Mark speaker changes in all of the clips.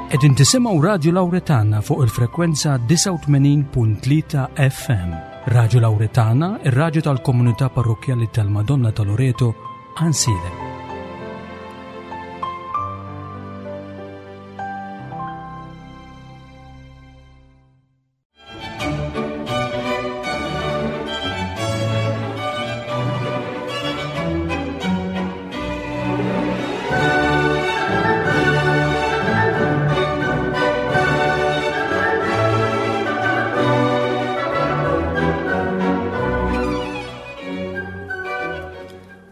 Speaker 1: Qegħdin tisimgħu Radju Lawretana fuq il-frekwenza 89.3 FM. Radju Lawretana, ir-radju tal-komunità parrokkjali tal-Madonna ta' Loreto, Ansilem.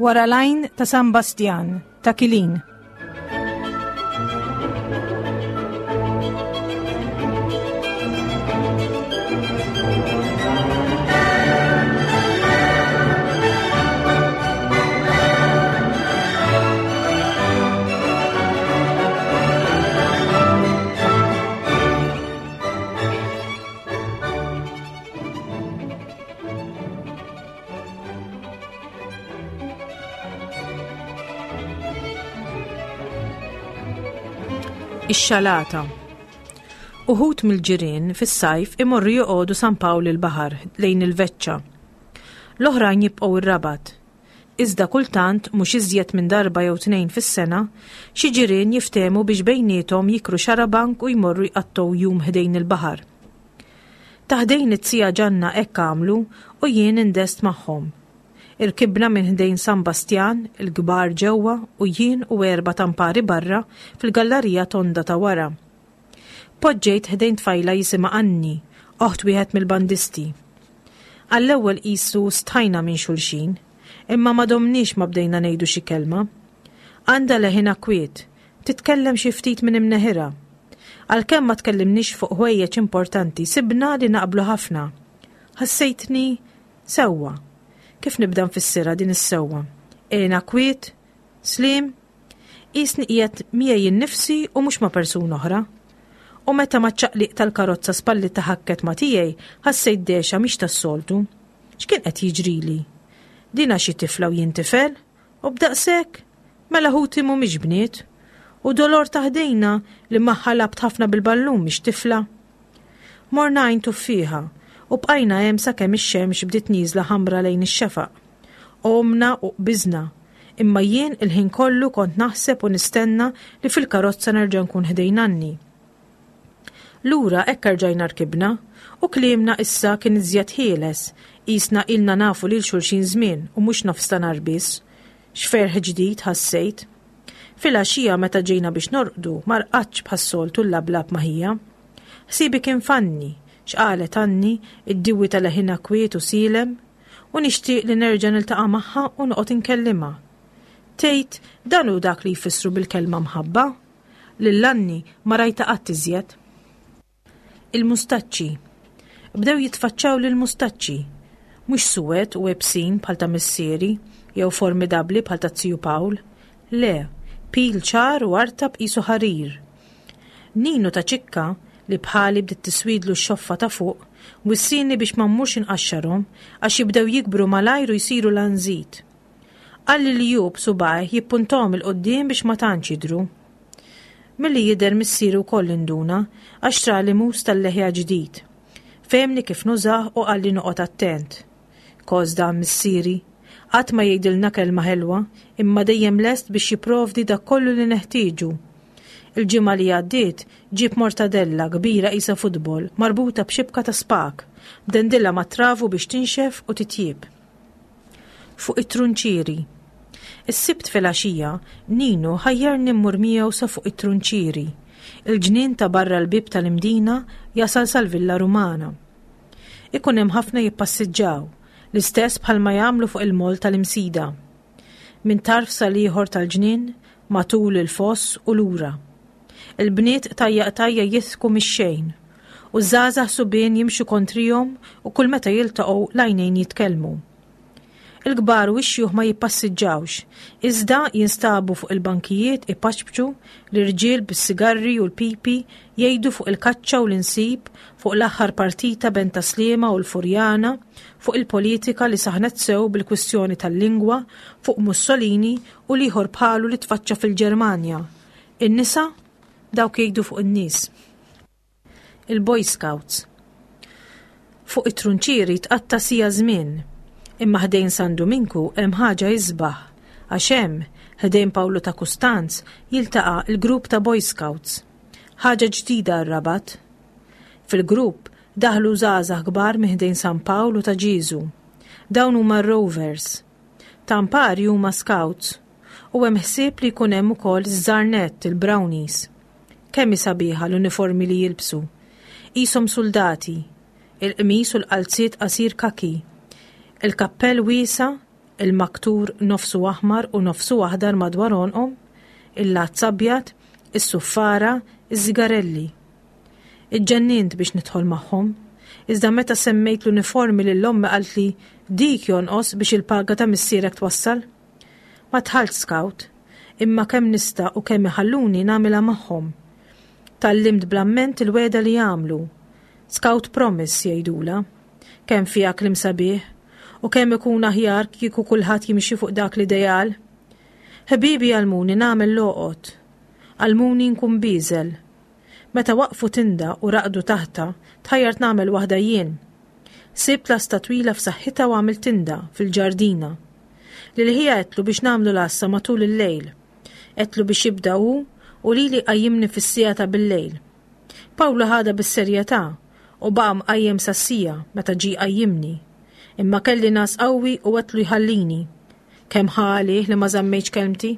Speaker 2: Wara l-għajn ta' San Bastjan, ta' Kilin. Ix-xalata. Uħud mill-ġirien fis-sajf imorru joqogħdu San Pawl il-Baħar lejn il-Veċċa. L-oħrajn jibqgħu r-Rabat. Iżda kultant, mhux iżjed minn darba jew tnejn fis-sena, xi ġirien jiftehmu biex bejniethom jikru xarabank u jmorru jqattgħu jum ħdejn il-baħar. Ta' ħdejn it-tija Ġanna hekk għamlu u jien indest magħhom. Irkibna minn ħdejn San Bastjan, il-kbar ġewwa u jien u erba' tampari barra fil-gallarija tonda ta' wara. Poġġejt ħdejn tfajla jisimha Anni, oħt wieħed mill-bandisti. Għall-ewwel qisu stħajna minn xulxin, imma ma domniex ma bdejna ngħidu xi kelma. Għandha leħinha kwiet, titkellem xi ftit minn imneħirha. Għalkemm ma tkellimniex fuq ħwejjeġ importanti sibna li naqblu ħafna. Ħassejtni sewwa. Kif nibda nfissirha din is-sewwa? Għena kwiet? Sliem? Qisni qiegħed miegħi innifsi u mhux ma' persuna oħra. U meta maċ-ċaqliq tal-karozza spallitha ħakket ma' tiegħi ħassejt dehxa mhix tas-soltu. X'kien qed jiġrili? Din għax hi tifla u jien tifel? U b'daqshekk? Mela ħuti mhumiex bniet? U Dolor ta' ħdejna li magħha lgħabt ħafna bil-ballun mhix tifla? Morna għajn tuffieħa u bqajna hemm sakemm ix-xemx bdiet nieżla ħamra lejn ix-xefaq. Għomna u qbiżna, imma jien il-ħin kollu kont naħseb u nistenna li fil-karozza nerġa' nkun ħdejn Anni. Lura hekk erġajna rkibna u kliemna issa kien iżjed ħieles, qisna ilna nafu lil xulxin żmien u mhux nofs ta' nhar biss. X'ferħ ġdid ħassejt. Filgħaxija meta ġejna biex norqdu ma rqadtx bħas-soltu nlablab ma' ħija. Ħsiebi kien f'Anni, x'qalet Anni, id-diwi ta' leħinha kwiet u sielem, u nixtieq li nerġa' niltaqa' magħha u noqgħod inkellimha. Tgħid dan hu dak li jfissru bil-kelma mħabba? Lil Anni ma rajtha qatt iżjed. Il-mustaċċi. Bdew jitfaċċawli l-mustaċċi. Mhux suwed u iebsin bħal ta' missieri jew formidabbli bħal taz-ziju Pawl. Le, pil ċar u artab qisu ħarir. Ninu ta' Ċikka, li bħali bdiet tiswidlu x-xoffa ta' fuq, wissieni biex ma mmurx inqaxxarhom għax jibdew jikbru malajr u jsiru lanżit. Qalli li hu b'subgħajh jippuntahom 'il quddiem biex ma tantx jidhru. Milli jidher missieri wkoll induna għax xtrali mus tal-leħja ġdid. Fehemni kif nużah u qalli noqgħod attent. Kos dan missieri. Qatt ma jgħidilna kelma ħelwa, imma dejjem lest biex jipprovdi dak kollu li neħtieġu. Il-ġimgħa li għaddiet ġieb mortadella kbira qisha futbol marbuta b'xibka ta' spak, bdendilha mat-travu biex tinxef u titjieb. Fuq it-trunċieri. Is-Sibt filgħaxija, Ninu ħajjarni mmur miegħu sa fuq it-trunċieri, il-ġnien ta' barra l-bieb tal-Imdina jasal sal-Villa Rumana. Ikun hemm ħafna jippassiġġaw, l-istess bħalma jagħmlu fuq il-moll tal-Imsida. Minn tarf sal-ieħor tal-ġnien, matul il-foss u lura. Il-bniet qtajja qtajja jidħku mix-xejn, u ż-żgħażagħ subien jimxu kontrihom u kull meta jiltaqgħu l-għajnejn jitkellmu. Il-kbar u x-xjuħ ma jippassiġġawx, iżda jinstabu fuq il-bankijiet ipaċpċu, l-irġiel bis-sigarri u l-pipi jgħidu fuq il-kaċċa u l-insib, fuq l-aħħar partita bejn Tas-Sliema u l-Furjana, fuq il-politika li saħnet sew bil-kwistjoni tal-lingwa, fuq Mussolini u l-ieħor bħalu li tfaċċa fil-Ġermanja. In-nisa? Dawk jgħidu fuq in-nies. Il-Boy Scouts. Fuq it-trunċieri tqatta' siegħa żmien. Imma ħdejn San Duminku hemm ħaġa isbaħ, għax hemm, ħdejn Pawlu ta' Kustanz, jiltaqa' l-grupp ta' Boy Scouts. Ħaġa ġdida għar-Rabat. Fil-grupp daħlu żgħażagħ kbar minn ħdejn San Pawl u ta' Ġieżu. Dawn huma r-Rovers. Ta' Mpari huma Scouts. U hemm ħsieb li jkun hemm ukoll iż-żgħar nett, il-Brownies. Kemm hi sabiħa l-uniformi li jilbsu. Qishom suldati. Il-qmis u l-qalziet qasir kaki. Il-kappell wiesa', il-maktur nofsu aħmar u nofsu aħdar madwar għonqhom, il-lazz abjad, is-suffara, iż-żigarelli. Iġġennint biex nidħol magħhom. Iżda meta semmejt l-uniformi lil ommi qaltli dik jonqos biex il-paga ta' missierek twassal. Ma dħaltx scout, imma kemm nista' u kemm iħalluni nagħmilha magħhom. Tgħallimt bl-amment il-wegħda li jagħmlu. Scout promise jgħidulha. Kemm fiha kliem sabiħ, u kemm ikun aħjar kieku kulħadd jimxi fuq dak l-ideal. Ħbiebi għallmuni nagħmel l-għoqod. Għallmuni nkun bieżel. Meta waqqfu tinda u raqdu taħtha, tħajjart nagħmel waħda jien. Sibt lasta twila f'saħħitha u għamilt tinda fil-ġardina. Lil ħija għedtlu biex nagħmlu l-għassa matul il-lejl. Għedtlu biex jibda hu u lili qajjimni fis-siegħa ta' bil-lejl. Pawlu ħadha bis-serjetà u baqa' mqajjem sas-siegħa meta ġie jqajjimni. Imma kelli ngħas qawwi u għedtlu jħallini. Kemm ħa għalih li ma żammejtx kelmti?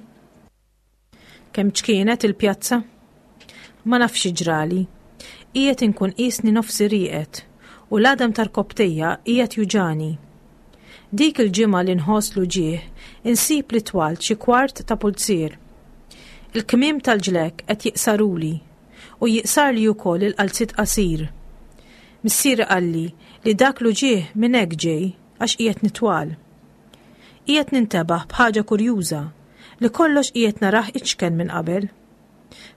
Speaker 2: Kemm ċkienet il-pjazza? Ma nafx xi ġrali. Qiegħed inkun qisni nofsi rieqed u l-għadam tar-rkopptejja qiegħed juġagħni. Dik il-ġimgħa li nħoss l-uġigħ insib li twalt xi kwart ta' pulzier. Il-kmiem tal-ġlekk qed jiqsaruli u jiqsarli wkoll il-qalziet qasir. Missieri qalli li dak l-uġigħ minn hekk ġej għax qiegħed nitwal. Qiegħed nintebaħ b'ħaġa kurjuża, li kollox qiegħed narah iċken minn qabel.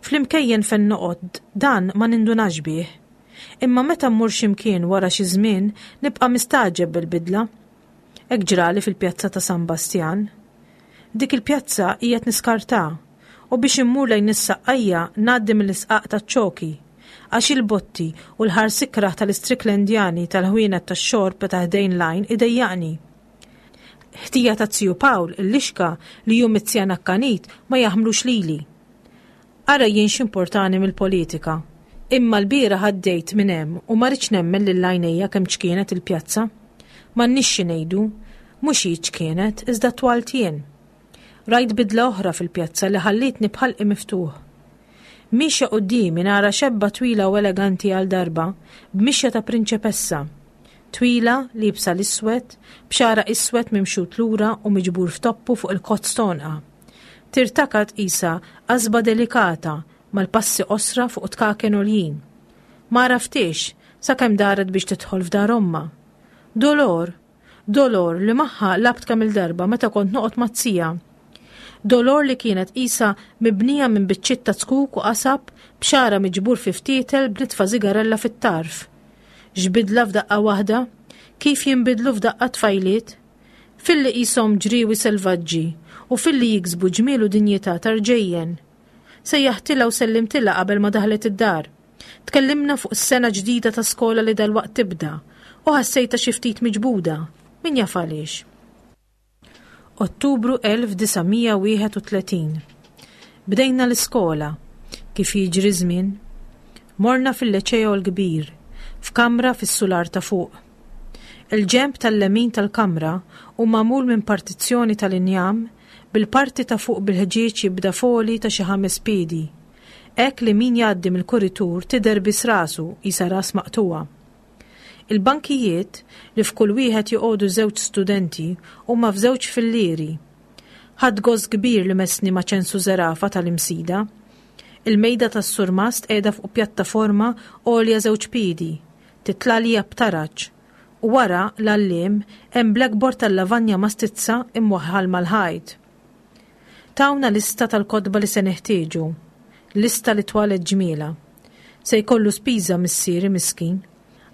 Speaker 2: Fl-imkejjen fejn noqgħod dan ma nindunax bih. Imma meta mmur xi mkien wara xi żmien nibqa' mistagħġeb bil-bidla. Hekk ġrali fil-pjazza ta' San Bastjan. Dik il-pjazza qiegħed niskartha u biex immur lejn is-Saqqajja ngħaddi mill-isqaq taċ-Ċoki. Għax il-botti u l-ħars ikrah tal-Istriklendjani tal-ħwienet tax-xorb ta' ħdejn l-għajn idejjaqni. Ħtija ta' ziju Pawl, il-lixka, li hu mizzjan akkanit, ma jaħmlux lili. Ara jien x'importani mill-politika. Imma lbieraħ għaddejt minn hemm u ma ridtx nemmen lil għajnejja kemm ċkienet il-pjazza. M'għandniex xi ngħidu. Mhux hi ċkienet, iżda twalt jien. Rajt bidla oħra fil-pjazza li ħallietni b'ħalqi miftuħ. Miexja quddiemi nara xebba twila u eleganti għal darba, b'mixja ta' prinċepessa. Twila, liebsa l-iswed, b'xagħarha iswed mimxut lura u miġbur f'toppu fuq il-kozz t'għonqha. Tirtakat qisha qasba delikata mal-passi qosra fuq tkaken għoljin. Ma għarafthiex sakemm daret biex tidħol f'dar ommha. Dolor! Dolor li magħha lgħabt kemm-il darba meta kont noqgħod maz-zija. Dolor li kienet qisha mibnija minn biċċiet ta' zkuk u qasab b'xagħarha miġbur fi ftietel b'nitfa żigarella fit-tarf. X'bidla f'daqqa waħda! Kif jinbidlu f'daqqa t-tfajliet! Filli qishom ġriewi selvaġġi u filli jiksbu ġmiel u dinjità ta' rġejjen. Sejjaħtilha u sellimtilha qabel ma daħlet id-dar. Tkellimna fuq is-sena ġdida ta' skola li dalwaqt tibda u ħassejtha xi ftit miġbuda, min jaf għaliex. Ottubru 1931. Bdejna l-iskola, kif jiġri ż-żmien. Morna fil-Leċeo l-Kbir, f'kamra fis-sular ta' fuq. Il-ġenb tal-lemin tal-kamra hu magħmul minn partizzjoni tal-injam bil-parti ta' fuq bil-ħġieġ jibda f'għoli ta' xi ħames piedi. Hekk li min jgħaddi mill-kuritur tidher biss rasu qisha ras maqtugħa. Il-bankijiet, li f'kull wieħed joqogħdu żewġ studenti, huma f'żewġ fillieri. Ħadt gost kbir li messni ma' Ċensu Zerafa tal-Imsida. Il-mejda tas-surmast qiegħda fuq pjattaforma għolja żewġ piedi, titla' għalija b'taraġ, u wara l-għalliem hemm blackboard tal-lavanja mastizza imwaħħal mal-ħajt. Tawna lista tal-kotba li se neħtieġu. Lista li twalet ġmielha. Se jkollu spiża missieri miskin.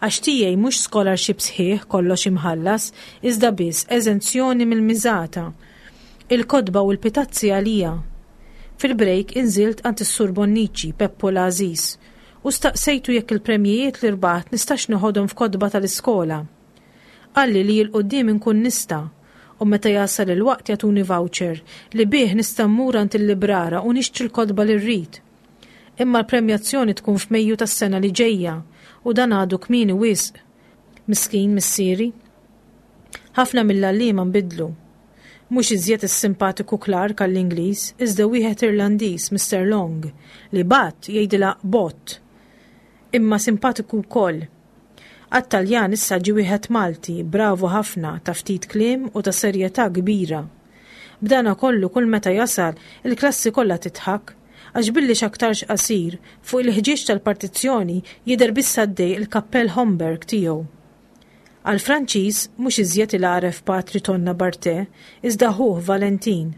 Speaker 2: Għax tiegħi mhux scholarship sħiħ kollox imħallas, iżda biss eżenzjoni mill-miżata. Il-kotba u l-pitazzi għalija. Fil-brejk inżilt għand is-Sur Bonnici, Peppu l-għażiż, u staqsejtu jekk il-premjijiet li rbaħt nistax neħodhom f'kotba tal-iskola. Qalli li 'l quddiem inkun nista' u meta jasal il-waqt jagħtuni voucher li bih nista' mmur għand il-librara u nixtri l-kotba li rrid. Imma l-premjazzjoni tkun f'Mejju tas-sena li ġejja u dan għadu kmieni wisq. Miskin missieri. Ħafna mill-għalliema nbidlu. Mhux iżjed is-simpatiku Clark għall-Ingliż, iżda wieħed Irlandiż, Mister Long, li bat jgħidilha bot. Imma simpatiku wkoll. Għat-Taljan issa ġie wieħed Malti, bravu ħafna, ta' ftit kliem u ta' serjetà kbira. B'dana kollu kull meta jasal, il-klassi kollha tidħak, għax billi x'aktarx qasir, fuq il-ħġieġ tal-partizzjoni jidher biss għaddej il-kappell Homburg tiegħu. Għall-Franċiż mhux iżjed il-għaref Patri Tonna Barthe, iżda ħuh Valentin.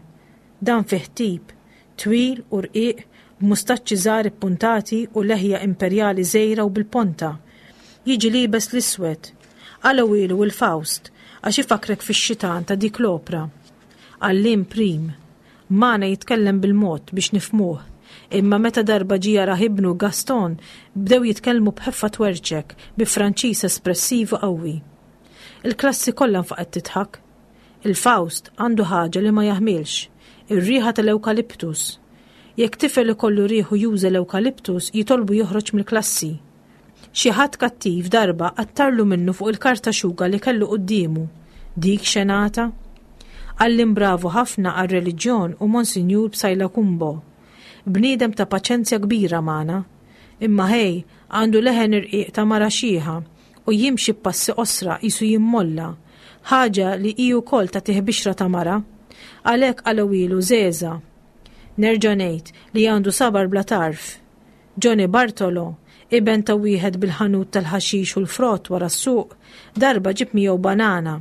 Speaker 2: Dan fih tip, twil u rqiq, b'mustaċċi żgħar ippuntati u leħja imperjali żgħira u bil-ponta. Jiġi liebes l-iswed. Qalgħuhielu il-Faust, għax ifakkrek fix-xitan ta' dik l-opra. Għalliem prim. Magħna jitkellem bil-mod biex nifhmuh. Imma meta darba ġie jarah ibnu Gaston, bdew jitkellmu b'ħeffa twerċek, bi Franċiż espressiv u qawwi. Il-klassi kollha nfaqgħet tidħak. Il-Faust għandu ħaġa li ma jaħmilx, ir-riħa tal-ewkaliptus. Jekk tifel ikollu riħu juża l-ewkaliptus jitolbu joħroġ mill-klassi. Xi ħadd kattiv darba qattarlu minnu fuq il-karta xuga li kellu quddiemu. Dik xenata! Għalliem bravu ħafna għar-reliġjon u Monsinjur Psaila Cumbo. Bniedem ta' paċenzja kbira magħna. Imma ħej, għandu leħen irqiq ta' mara xiħa u jimxi b'passi qosra qisu jimmolla. Ħaġa li hi wkoll tagħtih bixra ta' mara. Għalhekk qalgħuhielu Żeża. Nerġa' ngħid li għandu sabar bla tarf. Johnny Bartolo, iben ta' wieħed bil-ħanut tal-ħaxix u l-frott wara s-suq, darba ġib miegħu banana.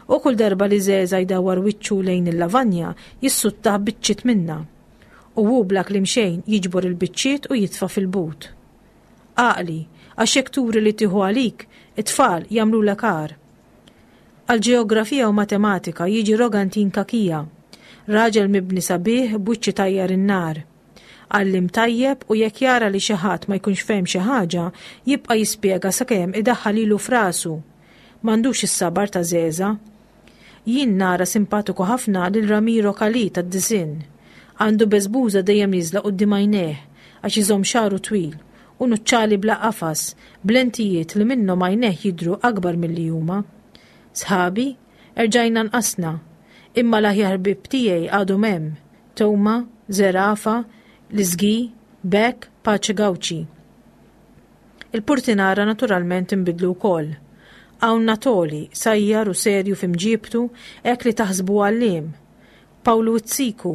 Speaker 2: U kull darba li Żeża jdawwar wiċċu lejn il-lavanja, jissuttah biċċiet minnha. U hu bla kliem xejn jiġbor il-biċċiet u jitfa' fil-but. Għaqli, għax jekk turi li tieħu għalik, it-tfal jagħmlulek agħar. Għall-ġeografija u matematika jiġi Rogantin Cachia, raġel mibni sabiħ b'wiċċ itajjar in-nar. Għalliem tajjeb u jekk jara li xi ħadd ma jkunx fehem xi ħaġa, jibqa' jispjega sakemm idaħħal ilu f'rasu. M'għandux is-sabar ta' Żeża. Jien nara simpatiku ħafna lil Ramiro Calì tad-disinn. Għandu beżbuża dejjem nieżla quddiem għajnejh għax iżomm xagħru twil u nuċċali bla qafas, b'lentijiet li minnhom għajnejh jidhru akbar milli huma. Sħabi, erġajna nqasna. Imma l-aħjar ħbieb tiegħi għadhom hemm. Tewma, Żerafa, L-Iżgi, Beck, Pace Gauci. Il-purtinara naturalment inbidlu wkoll. Hawn Natoli, sajjar u serju fi mġiebtu hekk li taħsbu għalliem. Pawlu Izziku,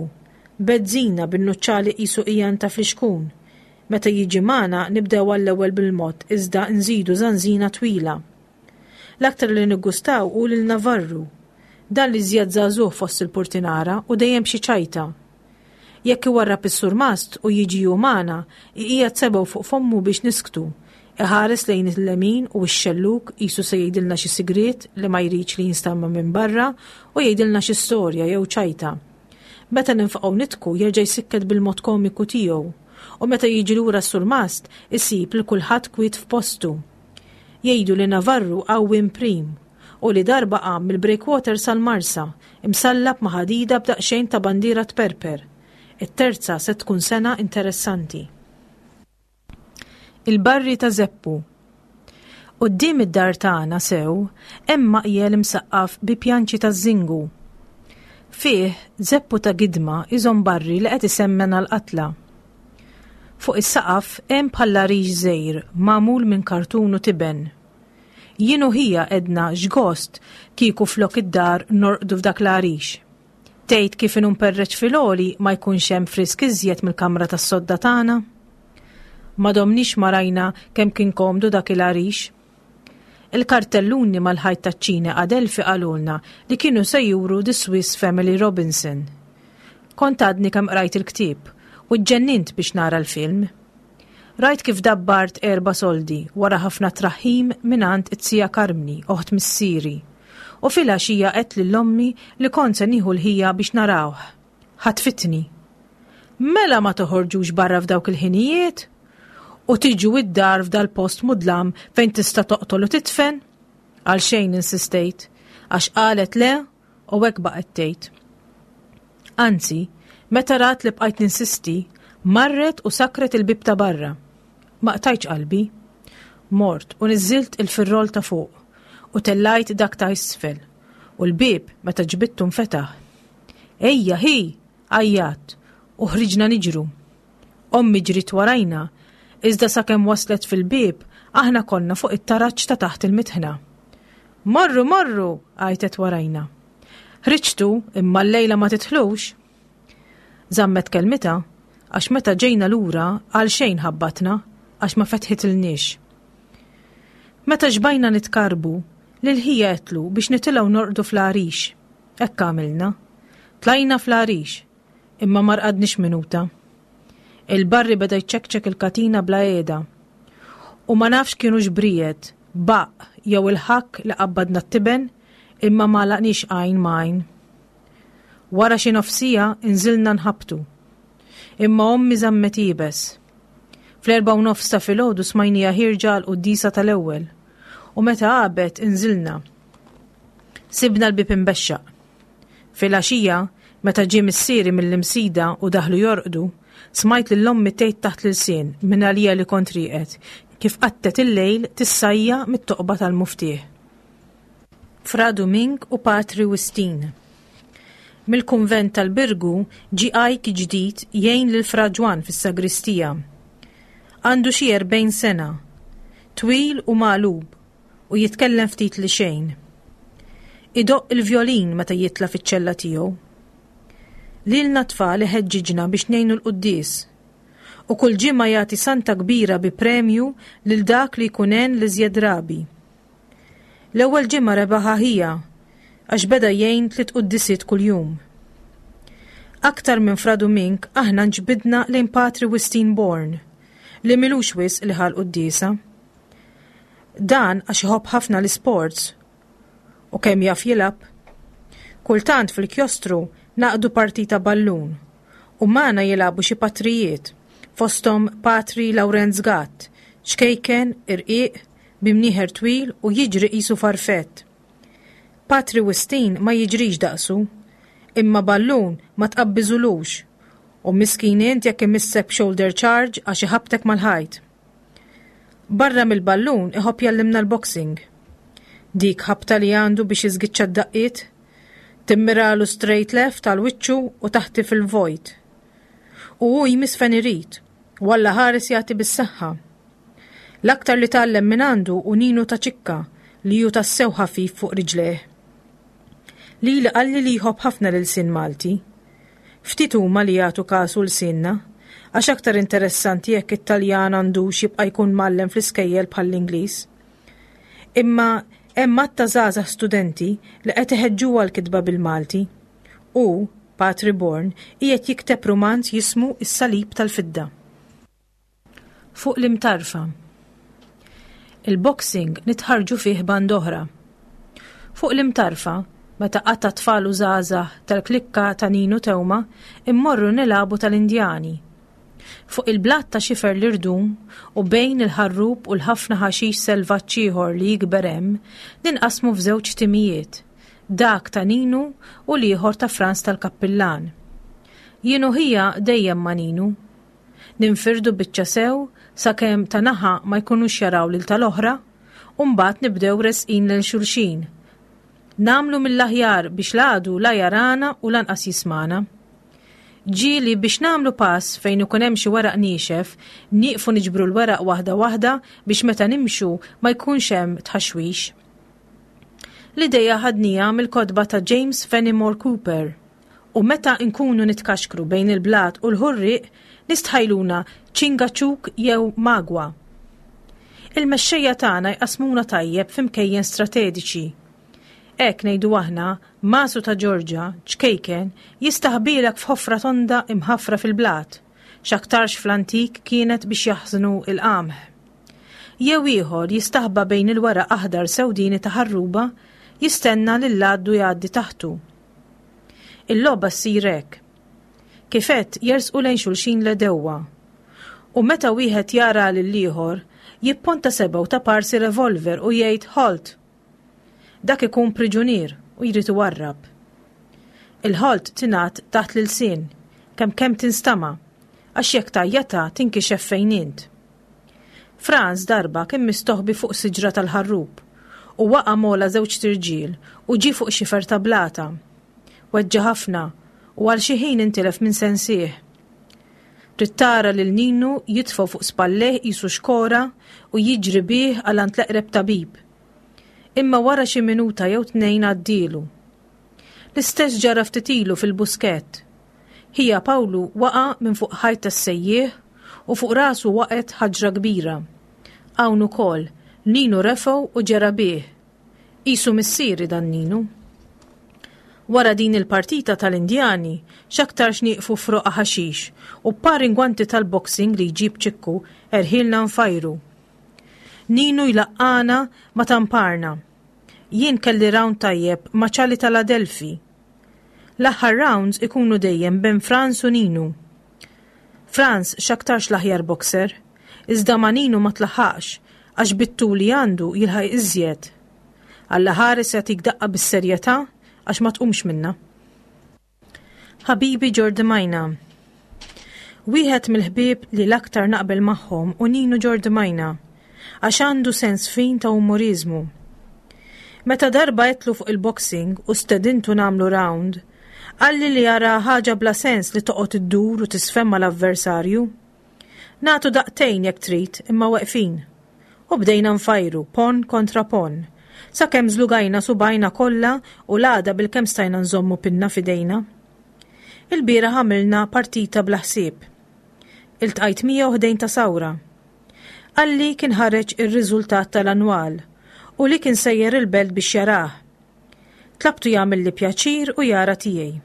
Speaker 2: bezzina bin-nuċċali qisu qiegħan ta' flixkun. Meta jiġi magħna nibdew għall-ewwel bil-mod iżda nżidu żanżina twila. L-aktar li niggustaw hu lil Navarru. Dan l-iżjed żagħżugħ fost il-purtinara u dejjem b'xi ċajta. Jekk iwarrab is-surmast u jiġi hu magħna, iqiegħed sebgħu fuq fommu biex nisktu. Iħares lejn il-lemin u x-xellug qisu se jgħidilna xi sigriet li ma jridx li jinstama' minn barra u jgħidilna xi storja jew ċajta. Meta ninfaqgħu nidħku jerġa' jsikket bil-mod komiku tiegħu. U meta jiġi lura s-surmast, isib lil kulħadd kwiet f'postu. Jgħidu li Navarru qawwi mprim u li darba qam mill-breakwater sal-Marsa, imsallab ma' ħadida b'daqsxejn ta' bandiera tperper. It-terza se tkun sena interessanti. Il-barri ta' Zeppu Quddiem id-dar tagħna sew hemm maqjel imsaqqaf bi pjanċi taż-żingu. Fih, Zeppu ta' Gidma jżomm barri li qed isemmen għall-qatla. Fuq is-saqaf hemm bħall-għarix żgħir magħmul minn kartun u tiben. Jien u ħija għedna x'gost kieku flok id-dar norqdu f'dak l-għarix. Tgħid kif inhu mperreċ fil-għoli ma jkunx hemm frisk iżjed mill-kamra tas-sodda tagħna? Ma domniex ma rajna kemm kien komdu dak il-għarix. Il-kartelluni mal-ħajt taċ-ċine Adelphi qalulna li kienu se juru The Swiss Family Robinson. Kont għadni kemm qrajt il-ktieb u ġġennint biex nara l-film. Rajt kif dabbart erba' soldi wara ħafna traħħim mingħand it-zija Karmni, oħt missieri. U filgħaxija għedt lil ommi li kont se nieħu l-ħija biex narawh. Ħatfitni. Mela ma toħorġux barra f'dawk il-ħinijiet? U tiġu id-dar f'dal-post mudlam fejn tista' toqtol u titfen? Għalxejn insistejt, għax qalet le u hekk baqgħet tgħid. Anzi, meta rat li bqajt ninsisti, marret u sakret il-bieb ta' barra. Ma qtajtx qalbi. Mort u niżżilt il-firrol ta' fuq u tellajt dak ta' isfel u l-bieb meta ġbidtu nfetaħ. Ejja ħi! Għajjatt u ħriġna niġru. Ommi ġriet warajna, iżda sakemm waslet fil-bieb aħna konna fuq it-taraġ ta' taħt il-mitħna. Morru, morru! għajtet warajna. Ħriġtu imma llejla ma tidħlux! Żammet kelmitha għax meta ġejna lura għalxejn ħabbatna għax ma fetħitilniex. Meta xbajna nitkarrbu, lil ħija għedtlu biex nitilgħu norqdu fl-għarix. Hekk għamilna. Tlajna fl-għarix, imma ma rqadniex minuta. Il-barri beda jċekċek il-katina bla qiegħda. U ma nafx kienux briegħed, baqq jew il-ħakk li qabbadna t-tiben, imma ma għalaqniex għajn ma' għajn. Wara xi nofs siegħa inżilna nħabbtu. Imma ommi żammet iebes. Fl-4:30 ta' filgħodu smajniha ħierġa għall-quddiesa tal-ewwel. U meta għabet inżilna. Sibna l-bieb imbexxaq. Filgħaxija, meta ġie missieri mill-Imsida u daħlu jorqdu, smajt lil ommi tgħid taħt l-ilsien mingħalija li kont rieqed, kif qattgħet il-lejl tissajja mit-toqba tal-muftieħ. Fra Dumink u Patri Wistin. Mill-kunvent tal-Birgu ġie ajk ġdid jgħin lil Fra Ġwann fis-sagristija. Għandu xi 40 sena. Twil u magħlub u jitkellem ftit li xejn. Idoqq il-vjolin meta jitla' fiċ-ċella tiegħu. Lilna t-tfal iħeġġiġna biex ngħinu l-quddies. U kull ġimgħa jagħti santa kbira bi premju lil dak li jkun għen l-iżjed drabi. L-ewwel ġimgħa rebaħha ħija għax beda jgħin tliet quddisiet kuljum. Aktar minn Fra Dumink aħna nġbidna lejn Patri Wistin Born li m'ilux wisq li ħa l-quddiesa. Dan għax iħobb ħafna l-isports u kemm jaf jilgħab. Kultant fil-kjostru naqdu partita ballun u magħna jilagħbu xi patrijiet, fosthom Patri Lawrenz Gatt, ċkejken, irqiq, bi mnieħer twil u jiġri qisu farfett. Patri Wistin ma jiġrix daqsu, imma ballun ma tqabbiżulux u miskin int jekk imissek b'shoulder charge għax iħabbtek mal-ħajt. Barra mill-ballun iħobb jgħallimna l-boxing. Dik ħabta li għandu biex jiżgiċċa d-daqqiet. Timmiralu straight left għal wiċċu u taħti fil-vojt. U hu jmiss fejn irid, u Alla ħares jagħti bis-saħħa. L-aktar li tgħallem minn għandu hu Ninu ta' Ċikka li hu tassew ħafif fuq riġlejh. Lili qalli li jħobb ħafna l-ilsien Malti. Ftit huma li jagħtu kasu lsienna, għax aktar interessanti jekk it-Taljan għandux jibqa' jkun mgħallem fl-iskejjel bħall-Ingliż. Imma hemm għadd ta' żgħażagħ studenti li qed iħeġġuha l-kitba bil-Malti. Hu, Patri Born, qiegħed jikteb rumanz jismu Is-Salib tal-Fidda. Fuq l-imtarfa. Il-boxing nitħarrġu fih band'oħra. Fuq l-imtarfa, meta qata' tfal u żgħażagħ tal-klikka ta' Ninu Teuma immorru nilagħbu tal-Indjani. Fuq il-blat ta' xifer l-irdum u bejn il-ħarrub u l-ħafna ħaxix selvaġġ ieħor li jikber hemm, ninqasmu f'żewġ timijiet, dak ta' Ninu u l-ieħor ta' Frans tal-Kappillan. Jien u ħija dejjem ma' Ninu. Ninfirdu biċċa sew sakemm ta' naħa ma jkunux jaraw lil tal-oħra u mbagħad nibdew resqin lejn xulxin. Nagħmlu mill-aħjar biex l-għadu la jarana u lanqas jismagħna. Ġieli biex nagħmlu pass fejn ikun hemm xi weraq niexef, nieqfu niġbru l-weraq waħda waħda biex meta nimxu ma jkunx hemm tħaxwix. L-ideja ħadniha mill-kotba ta' James Fenimore Cooper. U meta nkunu nitkaxkru bejn il-blat u l-ħurrieq nistħajluna ċingaċuk jew magwa. Il-mexxejja tagħna jqassmuna tajjeb f'imkejjen stratediċi. Hekk ngħidu aħna, Masu ta' Ġorġa, ċkejken, jistaħbielek f'ħofra tonda imħaffra fil-blat, x'aktarx fl-antik kienet biex jaħżnu l-qamħ. Jew ieħor jistaħba bejn il-weraq aħdar sewdieni ta' ħarruba jistenna lill-għaddu jgħaddi taħtu. Il-logħba ssir hekk. Kif għedt jersqu lejn xulxin l-għedewwa. U meta wieħed jara lill-ieħor, jipponta sebgħu ta' parsi revolver u jgħid halt! Dak ikun priġunier u jrid iwarrab. Il-halt tingħad taħt l-ilsien, kemm kemm tinstama', għax jekk tgħajjatha tinkixef fejn int. Franz darba kien mistoħbi fuq siġra tal-ħarrub u waqa' m'ogħla żewġt irġiel u ġie fuq xifer ta' blata. Weġġa' ħafna u għal xi ħin intilef minn sensih. Trid tara lil Ninu jitfgħu fuq spallejh qisu xkora u jiġri bih għal għand l-eqreb tabib. Imma wara xi minuta jew tnejn għaddielu. L-istess ġara ftit ilu fil-Buskett. Ħija Pawlu waqa' minn fuq ħajt tas-sejjieħ u fuq rasu waqgħet ħaġra kbira. Hawn ukoll, Ninu refgħu u ġera bih. Qisu missieri dan Ninu. Wara din il-partita tal-Indjani, x'aktarx nieqfu f'roqgħa ħaxix u b'par ingwanti tal-boxing li jġib Ċikku erħilna nfajru. Ninu jlaqqagħna ma' tamparna. Jien kelli round tajjeb ma' Ċali tal-Adelphi. L-aħħar rounds ikunu dejjem bejn Frans u Ninu. Frans x'aktarx l-aħjar boxer, iżda ma' Ninu ma tlaħħaqx għax bit-tul li għandu jilħaq iżjed. Alla ħares jagħtik daqqa bis-serjetà għax ma tqumx minnha. Ħabibi Ġordimajna Wieħed mill-ħbieb li l-aktar naqbel magħhom hu Ninu Ġordimajna għax għandu sens fin ta' umoriżmu. Meta darba għedtlu fuq il-boxing u stedintu nagħmlu round, qalli li jaraha ħaġa bla sens li toqgħod iddur u tisfen mal-avversarju. Nagħtu daqtejn jekk trid imma weqfin. U bdejna nfajru, ponn kontra ponn, sakemm żlugajna subgħajna kollha u l-għada bilkemm stajna nżommu pinna f'idejna. Ilbieraħ għamilna partita bla ħsieb. Iltqajt miegħu ħdejn ta' sawra. Qalli kien ħareġ ir-riżultat tal-annwal u li kien sejjer il-belt biex jarah. Tlabtu jagħmilli pjaċir u jara tiegħi.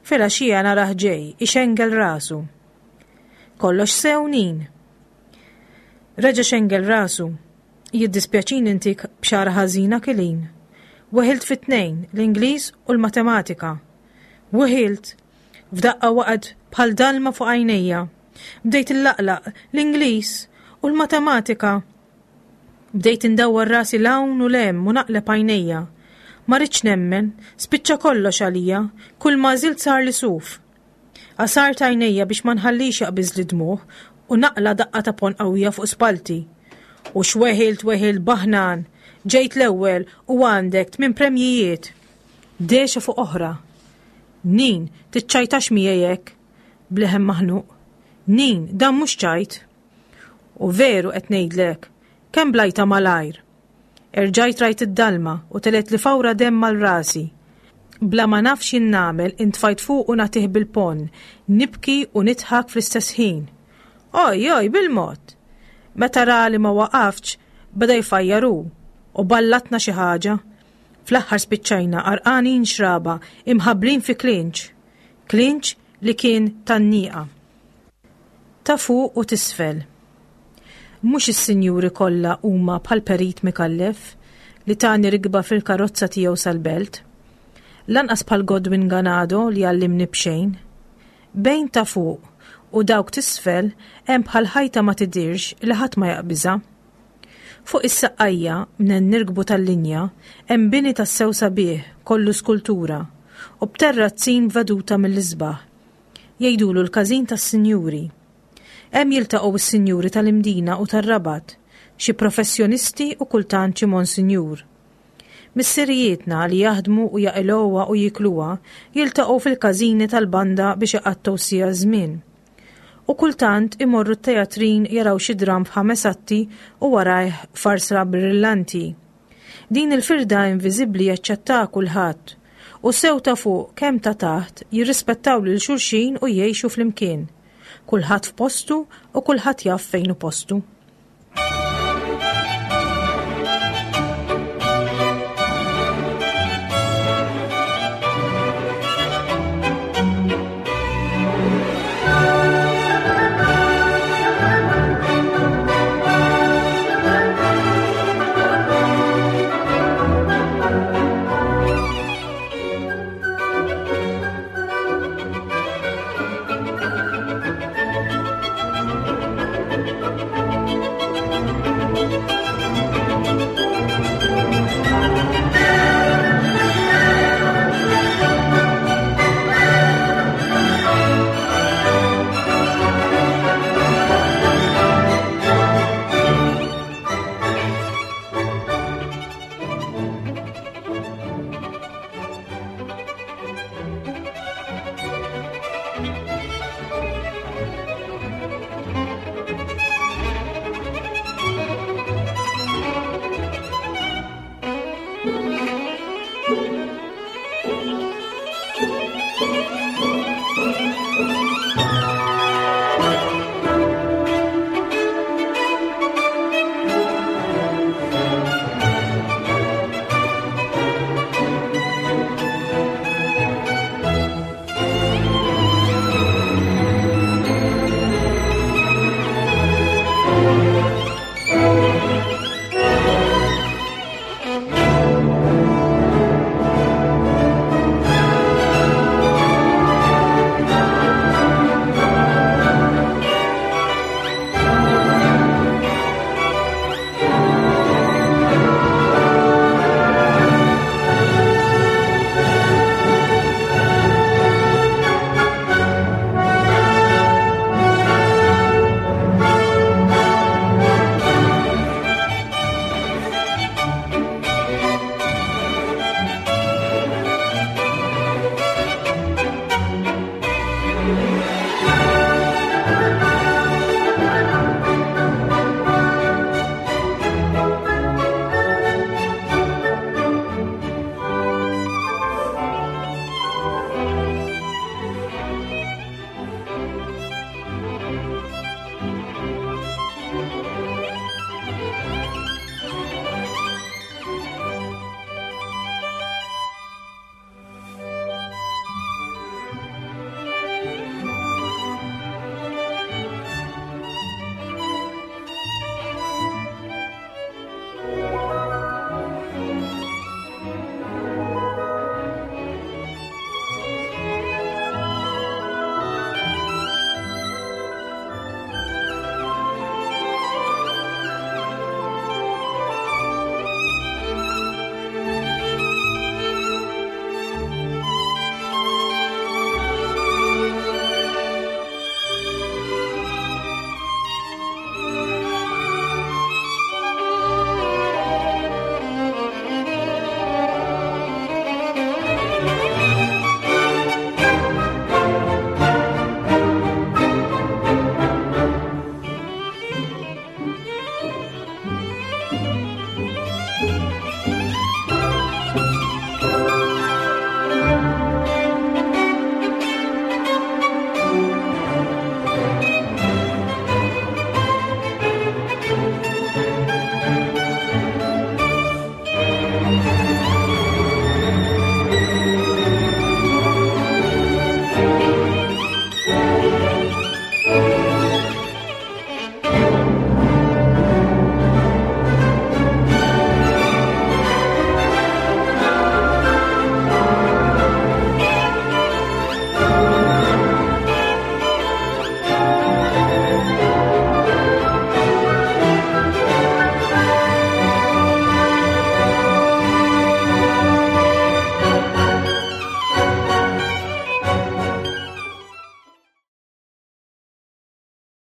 Speaker 2: Filgħaxija narah ġej, ixengel rasu. Kollox sew Nin. Reġa' xengel rasu. Jiddispjaċini ntik bxara ħażina Kilin. Weħilt fit-tnejn, l-Ingliż u l-Matematika. Weħilt! F'daqqa waqgħet bħal dalma fuq għajnejja. Bdejt illaqlaq, l-Ingliż u l-Matematika. Bdejt indawwar rasi 'l hawn u 'l hemm u naqleb għajnejja. Ma ridtx nemmen, spiċċa kollox għalija, kull m'għażilt sarli suf. Għasart għajnejja biex ma nħallix jaqbiżli d-dmugħ u naqla' daqqa ta' ponn qawwija fuq spallti. U x'weħilt weħilt baħnan! Ġejt l-ewwel u għandek tminn premjijiet! Dehxa fuq oħra. Nin, tiċċajtax miegħi hekk! B'leħen maħnuq. Nin, dan mhux ċajt! U veru qed ngħidlek, kemm blajtha malajr! Erġajt rajt id-dalma u telgħetli fawra demm għal rasi. Bla ma naf x'jien nagħmel intfajt fuqu nagħtih bil-ponn, nibki u nidħak fl-istess ħin. Oj, oj, bil-mod! Meta ra li ma waqaftx, beda jfajjar hu, u ballatna xi ħaġa. Fl-aħħar spiċċajna għarqanin xraba, imħabblin fi klinċ. Klinċ li kien tan-nieqa. Ta' fuq u t'isfel. Mhux is-sinjuri kollha huma bħal Perit Micallef li tani rikba fil-karozza tiegħu sal-Belt. Lanqas bħal Godwin Ganado li għallimni b'xejn. Bejn ta' fuq u dawk t'isfel hemm bħal ħajta ma tidhirx li ħadd ma jaqbiżha. Fuq is-Saqqajja, mnen nirkbu tal-linja, hemm bini tassew sabiħ, kollu skultura, u b'terrazzin b'veduta mill-isbaħ. Jgħidulu l-Każin tas-Sinjuri. Hemm jiltaqgħu s-sinjuri tal-Imdina u tar-Rabat, xi professjonisti u kultant xi monsinjur. Missirijietna li jaħdmu u jaqilgħuha u jiekluha jiltaqgħu fil-każini tal-banda biex iqattgħu siegħa żmien. U kultant imorru t-teatrin jaraw xi dramm f'ħames atti u warajh farsa brillanti. Din il-firda inviżibbli jaċċettaha kulħadd, u sew ta' fuq kemm ta' taħt jirrispettaw lil xulxin u jgħixu flimkien. Kulħadd f'postu u kulħadd jaf fejn hu postu.